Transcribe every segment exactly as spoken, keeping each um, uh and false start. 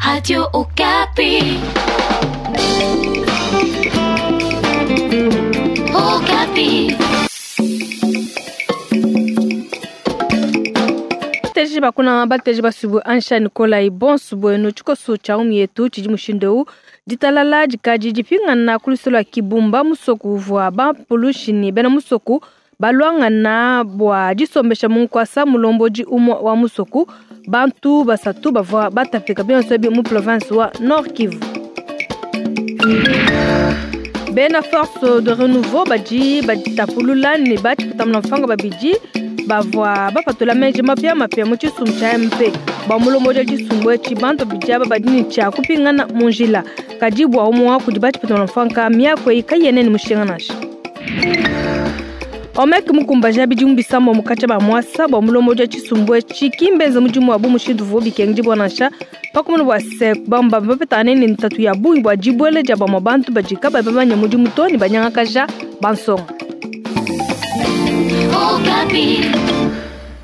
Radio Okapi. Okapi. Bateji bakuna bateji basubu ansha Nikolai bonsu bueno tshikoso tshia umi yetu tshidi mushindu ditalala dikadi dipingana ku lua Kibumba musoku uvua bampulushi ne bena musoku balwangana bua disombesha munkwasa mulombodi umue wa musoku bantu basatu bavua batapika bionso ebi mu province wa Nord Kivu. Bena force de renouveau badi baditapulula ne batshipeta mfanga babidi bavua bapatula menji mapya mapya mu tshisumbu tshia M P bua mulombodi wa tshisumbu etshi bantu babidi aba badi ne tshia kupingana mu njila kadi bua umue wa kudi batshipeta mfanga miaku eyi kayena ne mushinga nansha. Omek mukumbaja bidimu bisambo mukatshia ba mwasa bua mulombodi wa tshisumbu etshi kimbenze mudimu wa bu mushindu uvua bikengi bua nansha pakumuna bua se bamba bapetane ne ntatu ya bungi bua dibuela dia bamue bantu badi kabayi bamanye mudimu to ne banyangakaja bansonga.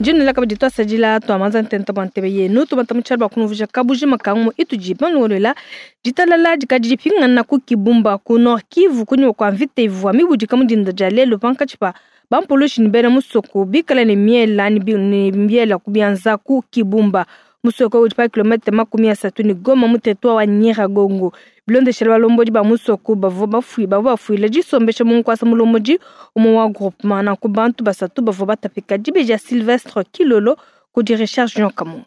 Jina la kabidi twasadila twamanza ntenta bwa ntebe yenu tubata mu tshialo bua kunuvuja kabujima kangu itudi banlolela ditalala dikadi dipingana ku Kibumba ku Nord Kivu kunyuma kua mvita ivua mibudika mu dinda dia lelu pankatshi pa bampulushi ne bena musoko bikala ne miela ne miela ku bianza ku Kibumba musoko udi pa kilomètre makumi asatu ne Goma mu territoire wa Nyiragongo bilondeshela balombodi ba musoko bavua bafui bavua bafuile disombesha mu nkwasa mulombodi umue wa groupement nanku bantu basatu bavua batapika dibeji Sylvestre Kilolo kudi Richard Jean Kamunga.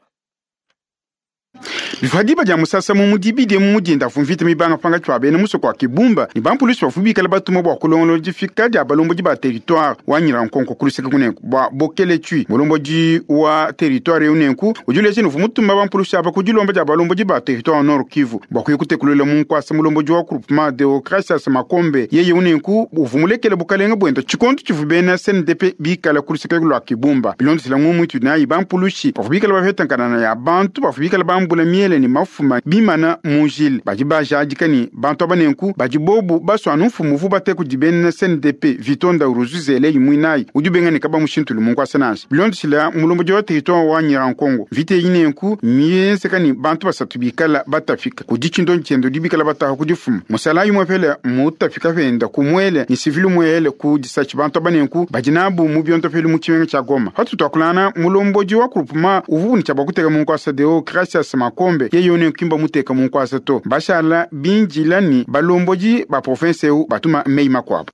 Bifadiba dia musasa mu mudibidi mu mudinda fumvita mibanga panga tshwa bena musoko wa Kibumba ni bampulushi bafubikala batuma bua kulongolola difika dia balombodi ba territoire wa Nyirankonko kuluseka kunenku bua bokele tshwi mulombodi wa territoire unenku ujuleje nuvu mutuma bampulushi aba kudilomba dia balombodi ba territoire Nord Kivu bua kuyikutekulula mu nkwasa mulombodi wa groupement Deocratias Makombe yeye unenku uvumulekele bukalenga bwenda tshikonto tshivu bena C N D P bikala kuluseka lwa Kibumba bilondesela ng'umwitu nayi bampulushi bafubikala bafetankanana ya bantu bafubikala bambula miele ni mafuma bimana mujil badi bajadika ni bantu abanenku badi bobu baswana mfumu vu bate kudi bena C N D P Vitonda Uruzuzele yimwinayi udi benga ne kaba mushintulu munkwasa nansha bilondesela mulombodi wa territoire wa Nyirankongo vite yinenku mienzeka ni bantu basatu bikala batafika kudi tshindo ntshiendo dibikala bataha kudifuma musala yimwe pele mutafika penda kumwele ni civil mwele ku disachi bantu abanenku badi nabu mu bionto pele mu tshimenga tsha Goma hatu twakulana mulombodi wa groupement uvu ni tsha kuteka munkwasa Deocratias Makombe yeye one kimba muteka munkwasa to bashala binjila ni balomboji ba province eu batuma mei makwabo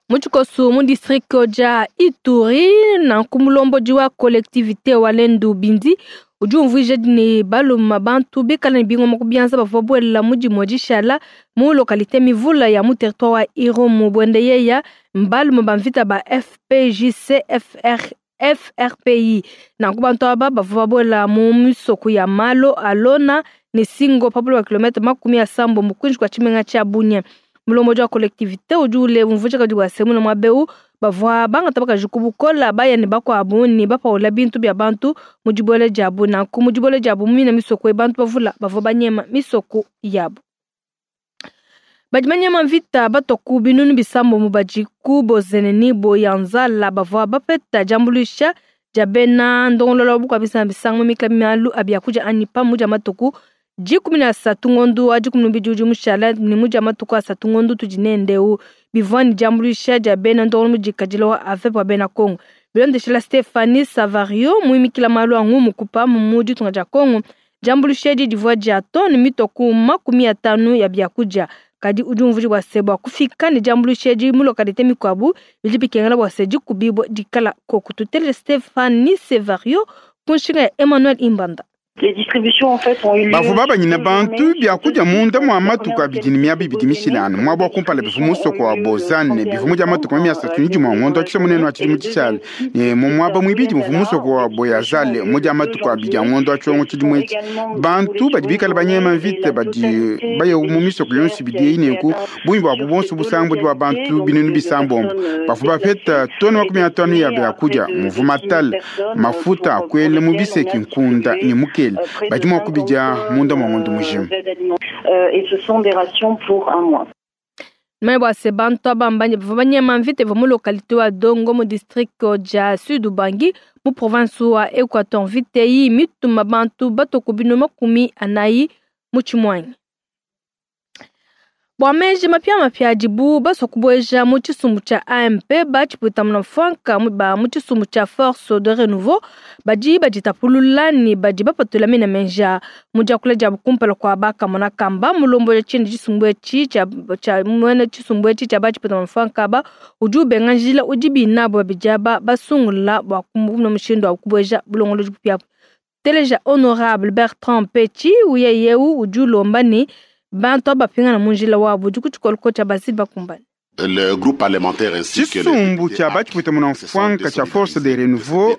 Muchikosu mu district ja Ituri na kumulomboji wa collectivité wa Lendu Bindi udi umvuija ne baluma bantu bikala ne bingoma kubianza bavua buela mudimu dishala mu localité mivula ya mu territoire wa Irumu bwende yeya mbaluma bamvita ba F P J C F R F R P I nanku bantu aba bavua babuela mu misoko ya Malo Alona ne Singo pabulo wa kilomètre makumi asambo mukwinji kwa tshimenga tshia Bunia mulombodi wa collectivité udi ule umvuija kadi wa semu na mwabeu bavua bangata bakaji kubukola bayani bakuabu ne bapaula bintu bia bantu mu dibuela diabu nanku mu dibuela diabu mina misoko bantu bavula bavua banyema misoko yabu. Badi banyema mvita batoku binunu bisambo mu badi ku bozene ni boyanzala bavua bapeta diambuluisha dia bena ndongolola bukua bisamba bisango mikla mialu abiakudia ani pamu dia matuku dikumi na asatu ngondu wa dikumi na bidi udi mushala ni mu dia matuku asatu ngondu tudi nendeu bivua ni diambuluisha dia bena ndongolo mudikadila wa A V P wa bena Kongo bilondeshela Stephanie Savario muimikila malu a ngumu kupa mu ditunga dia Kongo diambuluisha edi divua dia tone mitoku makumi atanu ya biakudia kadi udi umvuija bua se bua kufika ne diambuluisha edi mu localité mikuabu bidi bikengela bua se dikubibua dikala koku tuteleje Stephanie Savario ku nshinga ya Emmanuel Imbanda. Les distributions en fait ont eu lieu. Bavua babanyina bantu biakudia munda mwa matuku abidi ne miaba ibidi mishilano mwaba wa kumpala bivu musoko wa Bozane bivu mudia matuku makumi asatu ne dimue ngondo wa tshisha munene wa tshidimu tshishala ne mu mwaba muibidi muvu musoko wa Boyazale mudia matuku abidi a ngondo wa tshiongo tshidimu etshi bantu badi bikala banyema mvita badi baye mu misoko yonso ibidi eyi nenku bungi bwabu bonso busambo bua bantu binunu bisambombo bavua bapeta tone makumi atanu ya biakudia muvu matala mafuta akwele mu biseki nkunda ne mukele badi mua kubidia munda mwa ngondo mujima. Et ce sont des rations pour un mois. Mwe bua se bantu aba bavua banyema mvita ivua mu localité wa Dongo mu district dia Sud Ubangi mu province wa Equateur mvita eyi mituma bantu batoku binu makumi anayi Mu Tshimuangi. Bua meji mapiamapia adibu basua kubueja mu tshisumbu tshia A M P batshipwita mfuanka ba mu tshisumbu tshia Force de Renouveau badi baditapulula ne badi bapatula mena menja mu diakula dia kumpala kua bakamona kamba mulombo ya tshindi tshisumbu etshi tshia tshia mwene tshisumbu etshi tshia batshipwita mfuanka ba udi ubenga njila udi binabo babidi aba basungula bua kumuna mushindu wa kubueja bulongolodi bupia. Teleja Honorable Bertrand Petit uyeyeu udi ulomba ne bantu abapingana mu njila wabo udi ku tshikoloko tshia basili bakumbane. Le groupe parlementaire ainsi que tshisumbu tshia batshipwita muna mfuanka tshia Force de Renouveau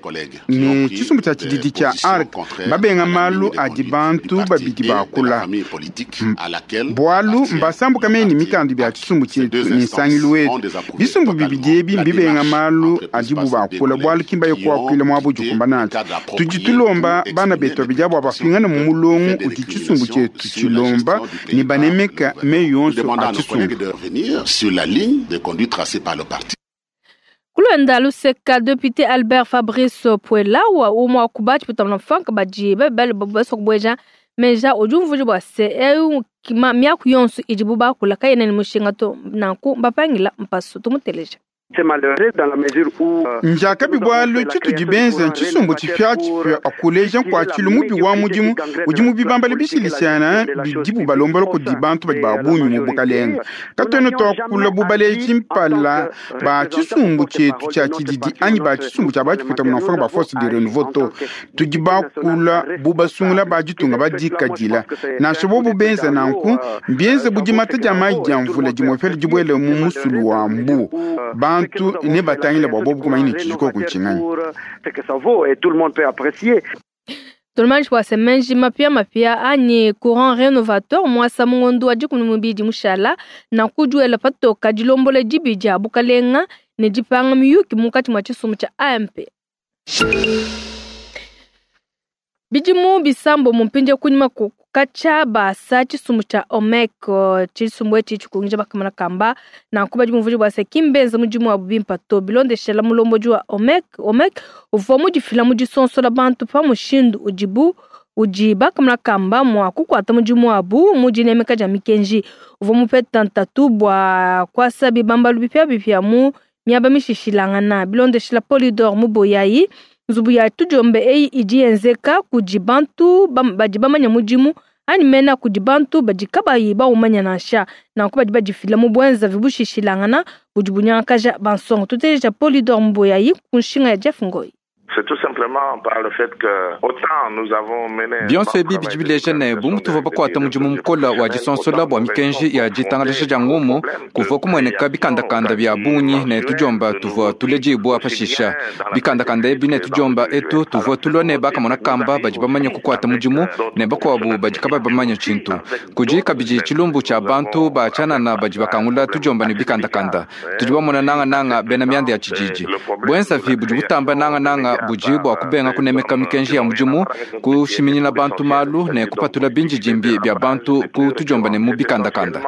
ne tshisumbu tshia tshididi tshia A R C babenga malu adi bantu babidi bakula bwalu mbasambuka meni mikandu bya tshisumbu tshietu ne nsangilu wetu. Bisumbu bibidi ebi mbibenga malu adibu bakula bwalu kimba yokuakuila mwabo jukumba nacho. Tudi tulomba bana betu babidi abo bapingana mu mulongo udi tshisumbu tshietu tshilomba ne banemeka meyi yonso a tshisumbu. Sur la ligne de conduite tracée par le parti. Kulwenda luseka député Albert Fabrice Puela wa umwa kubachi putamna mfanka baji bebele baso kubweja meja ujumvuji bwa se eu kima miaku yonso ijibu bakula kayene ni mushinga to nanku mbapangila mpasu tumuteleja. C'est malheureux dans la mesure où njaka bibwalu tshitu dibenza tshisumbu tshipia tshipia akuleja kwa tshilu mubi wa mudimu udi mubi bambale bishilishana bidibu balombola kudi bantu badi babunyi mu bukalenga katwena twakula bubaleji mpala ba tshisumbu tshietu tshia tshididi anyi ba tshisumbu tshia batshiputa munafanga ba Force de Renouveau to tudi bakula bubasungula ba ditunga badikadila nansha bobu benza nanku mbienze budimata dia mayi dia mvula dimwepele dibuele mu musulu wa mbu bantu ne batangila bwa bobu kumanya ne tshijiko kuntshinganya. Tolmanji wa semenji mapia mapia anyi courant rénovateur mwasa mungondo wa dikumi mubidi mushala na kujuela patoka dilombola dibidi a bukalenga ne dipanga miyuki munkatshi mwa tshisumbu tshia A M P. Bidimu bisambo mumpinje kunyima kukacha basa tshisumbu tshia O M E C tshisumbu etshi tshikungisha bakamana kamba na nkuba dimuvuji bwa se kimbenza mudimu wa bimpa to bilondeshela mulomboji wa O M E C. O M E C uvua mudifila mu disonsola bantu pa mushindu udibu udi bakamana kamba mwa kukwata mudimu wabu mu dinemeka dia mikenji uvua mupeta ntatu bua kuasa bibambalu bipia bipia mu miaba mishishilangana bilondeshela Polydor Muboyayi. Nzubu ya tujombe eyi idi yenzeka kudi bantu badi bamanya mudimu anyi mena kudi bantu badi kabayi baumanya nansha nanku badi badifila mu bwenza vibushishilangana budi bunyangakaja bansonga. Tuteja Polydor Muboyayi ku nshinga ya Jeff Ngoyi. C'est tout simplement par le fait que autant nous avons mené bionso ebi bidi bileja ne bumutuva bakwata mudimu mukola wa disonsola bua mikenji ya ditangalasha dia ngumu kuvua kumueneka bikandakanda bia bungi ne tujomba tuvua tulejibua pashisha bikandakanda ebi ne tujomba etu tuvua tulua ne bakamona kamba badi bamanya kukwata mudimu ne bakuabu badi kaba bamanya tshintu kudi kabidi tshilumbu tshia bantu ba tshianana badi bakangula tujomba ne bikandakanda tudi bamona nangananga bena mianda ya tshididi bwenzavi budi butamba nangananga buji bua kubenga kunemeka mikenji ya mudimu kushiminyina bantu malu ne kupatula binjijimbi bya bantu ku tujomba ne mu bikandakanda.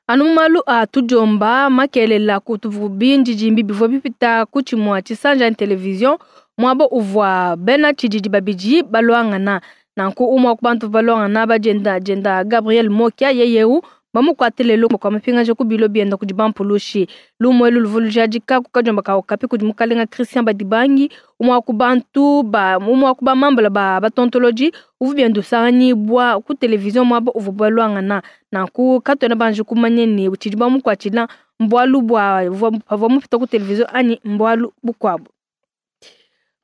Anu malu a tujomba makelela kutuvu binjijimbi bivua bipita ku tshimua tshisanja television mwabo uvua bena tshididi babidi balwangana nanku umwa ku bantu balwangana bajenda jenda Gabriel Mokia yeyeu bamukwatelelo kwa mapingaje ku bilo bienda kudi bampulushi lumwe luluvulujadika kukajomba kawo kapi kudi mukalenga Christian Badibangi umwa ku bantu ba umwa ku bamambala ba batontoloji uvu bienda usanganyibwa ku television mwabo uvu balwangana nanku katwena banje kumanye ni tshidi bamukwatshila mbwalu bwa bavua mupita ku television anyi mbwalu bukwabo.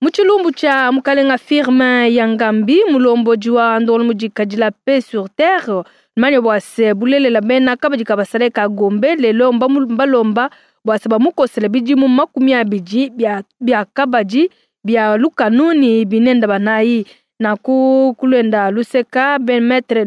Muchilumbu cha mukalenga firme ya Ngambi mulomboji wa ndolo mujikadila paix sur terre manye bwase bulelela bena kabadi kabasale ka gombe lelo mbalomba bwase bamukosela bidimu makumi abidi bya bya kabadi bya lukanuni binenda banayi na ku kulenda luseka ben maître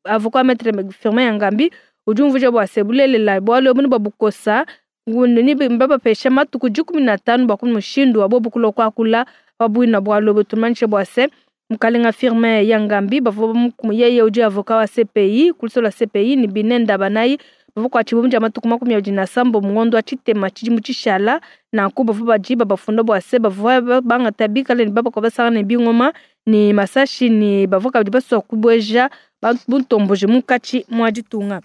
avocat maître firme ya Ngambi ujumvuje bwase bulelela bwalo bunu babukosa ni mbabapesha matuku dikumi na tano bwa kumushindu wa bobu kulokwa kula wabwina bwalo butumanishe bwase mukalenga firme ya Ngambi bavua yeye udi avocat wa C P I kulisola C P I ni binenda banayi Bavua kuatshibua mu dia matuku makumi abidi na sambo mu ngondo wa tshitema tshidimu tshishala. Nanku bavua badi babafunda bua se bavua bangata bikale ne babakua basangana ne bingoma ne masashi ne bavua kabidi basua kubueja buntomboji munkatshi mua ditunga.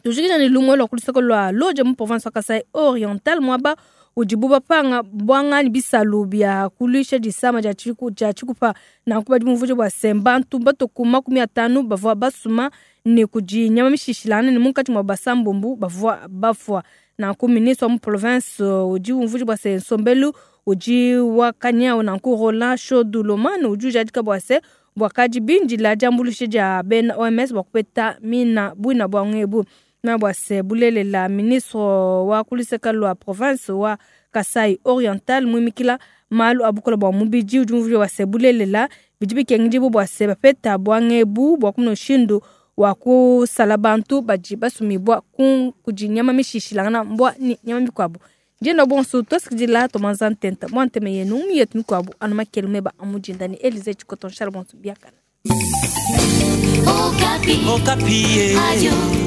Tujikija ne lumue lua ku luseke lua Lodja mu province wa Kasai Oriental, muaba udibu bapanga bwanga ne bisalu bia kuluisha disama dia tshiku dia tshikupa. Nanku badi bumvuija bua se bantu batue makumi atanu bavua basuma ne kudi nyama mishishilangane ne munkatshi mua basambombu bavua bafua. Nanku ministre wa mu province udi umvuija bua se nsombelu udi wakanyau. Nanku Roland Shodulomane udi ujadika bua se bwakadi bindila diambuluisha dia bena O M S bua kupeta mina buina bua ngebu. Na bua se bulelela ministre wa kuluseka lua province wa Kasai Oriental muimikila malu abukola bua mubidi udi umvuija bua se bulelela bidi bikengidibu bua se bapeta bua ngebu bua kumuna mushindu wa kusala bantu badi basumibua kudi nyama mishishilangana mbwa ni nyama mikuabu. Ndienda bonso tosikidila tomanza ntenta mwa nteme yenu yetu mikuabu anu makelu meba amujinda ni Elize Chikoton Charles bonso biakana. Okapi. Okapi. Radio.